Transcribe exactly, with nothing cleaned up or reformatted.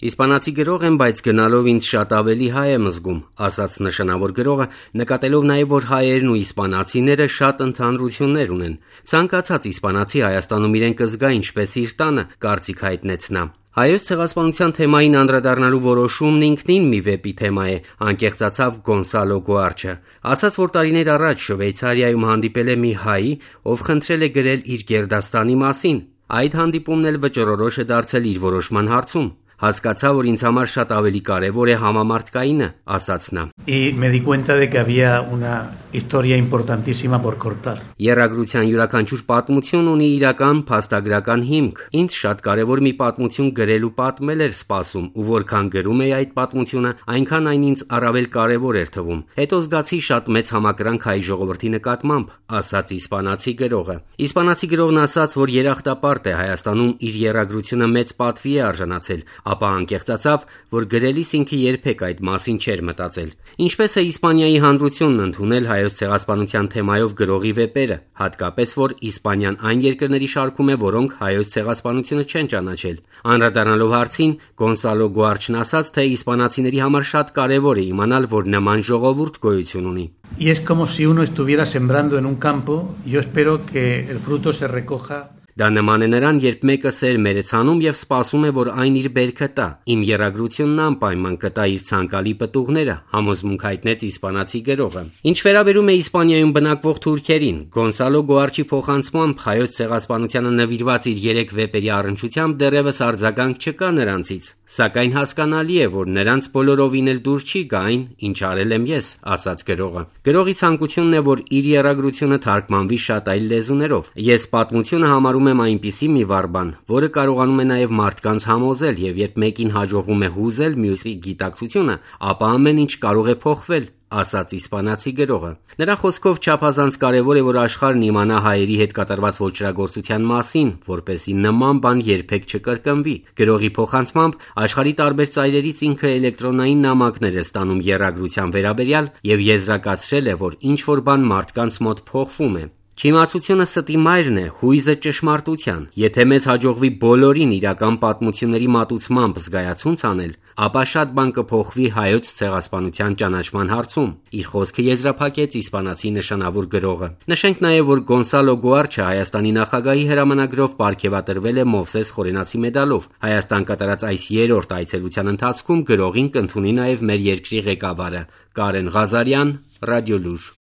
Իսպանացի գրող եմ, բայց գնալով ինձ շատ ավելի հայ եմ զգում, ասաց նշանավոր գրողը, նկատելով նաև, որ հայերն ու իսպանացիները շատ ընդհանրություններ ունեն։ Ցանկացած իսպանացի Հայաստանում իրեն կզգա ինչպես իր տանը, կարծիք հայտնեց նա։ Հայոց ցեղասպանության թեմային անդրադառնալու որոշումն ինքնին մի վեպի թեմա է, անկեղծացավ Գոնսալո Գուարչը։ Ասաց, որ տարիներ առաջ Շվեյցարիայում հանդիպել է մի հայ, ով խնդրել է գրել իր գերդաստանի մասին։ Այդ հանդիպումն էլ վճռորոշ է դարձել իր որոշման հարցում։ Հասկացա, որ ինձ համար շատ ավելի կարևոր է համամարտկայինը, ասաց նա։ Y me di cuenta de que había una historia importantísima por cortar. Եռագրության յուրաքանչյուր պատմություն ունի իրական փաստագրական հիմք։ Ինձ շատ կարևոր մի պատմություն գրել ու պատմել էր սպասում, ու որքան գրում էի այդ պատմությունը, այնքան այն ինձ առավել կարևոր էր թվում։ Հետո զգացի շատ մեծ համակրանք հայ ժողովրդի նկատմամբ, ասաց իսպանացի գրողը։ Իսպանացի գրողն ասաց, որ երախտապարտ է Հայաստանում իր եռագրությունը մեծ պատվի է արժանացել, ապա անկեղծացավ, որ գրելիս ինքը երբեք այդ մասին չէր մտածել։ Ինչպես է Իսպանիայի հանրությունն ընդունել հայոց ցեղասպանության թեմայով գրողի վեպերը, հատկապես որ Իսպանիան այն երկրների շարքում է, որոնք հայոց ցեղասպանությունը չեն ճանաչել։ Անդրադառնալով հարցին, Գոնսալո Գուարչն ասաց, թե իսպանացիների համար շատ կարևոր է իմանալ, որ նման ժողովուրդ գոյություն ունի։ Y es como si uno estuviera sembrando en un campo, yo espero que el fruto se recoja. Դա նման է նրան, երբ մեկը սեր մերեցանում եւ սպասում է, որ այն իր բերքը տա։ Իմ եռագրությունն անպայման կտա իր ցանկալի պտուղները, համոզմունք հայտնեց իսպանացի գրողը։ Ինչ վերաբերում է Իսպանիայում բնակվող թուրքերին, Գոնսալո Գուարչի փոխանցմամբ հայոց ցեղասպանությանը նվիրված իր երեք վեպերի առնչությամբ դեռևս արձագանք չկա նրանցից, սակայն հասկանալի է, որ նրանց բոլորովին էլ դուր չի գա այն, ինչ արել եմ ես, ասաց գրողը։ Գրողի ցանկությունն է, որ իր եռագրությունը թարգմանվի շատ այլ լեզուներով։ Ես պատմությունը համարում եմ այնպիսի մի վարբան, որը կարողանում է նաև մարդկանց համոզել, եւ երբ մեկին հաջողվում է հուզել մյուսի գիտակցությունը, ապա ամեն ինչ կարող է փոխվել, ասաց իսպանացի գրողը։ Նրա խոսքով չափազանց կարևոր է, որ աշխարհն իմանա հայերի հետ կատարված ոճրագործության մասին, որպեսզի նման բան երբեք չկրկնվի։ Գրողի փոխանցմամբ աշխարհի տարբեր ծայրերից ինքը էլեկտրոնային նամակներ է ստանում եռագրության վերաբերյալ եւ եզրակացրել է, որ ինչ որ բան մարդկանց մոտ փոխվում է։ Չիմացությունը ստի մայրն է, հույզը ճշմարտության։ Եթե մեզ հաջողվի բոլորին իրական պատմությունների մատուցմամբ զգայացունց անել, ապա շատ բան կփոխվի հայոց ցեղասպանության ճանաչման հարցում։ Իր խոսքը եզրափակեց իսպանացի նշանավոր գրողը։ Նշենք նաև, որ Գոնսալո Գուարչը Հայաստանի նախագահի հրամանագրով պարգևատրվել է Մովսես Խորենացի մեդալով։ Հայաստան կատարած այս երրորդ այցելության ընթացքում գրողին կընդունի նաև մեր երկրի ղեկավարը Կարեն Ղազարյան, Ռադիոլուր։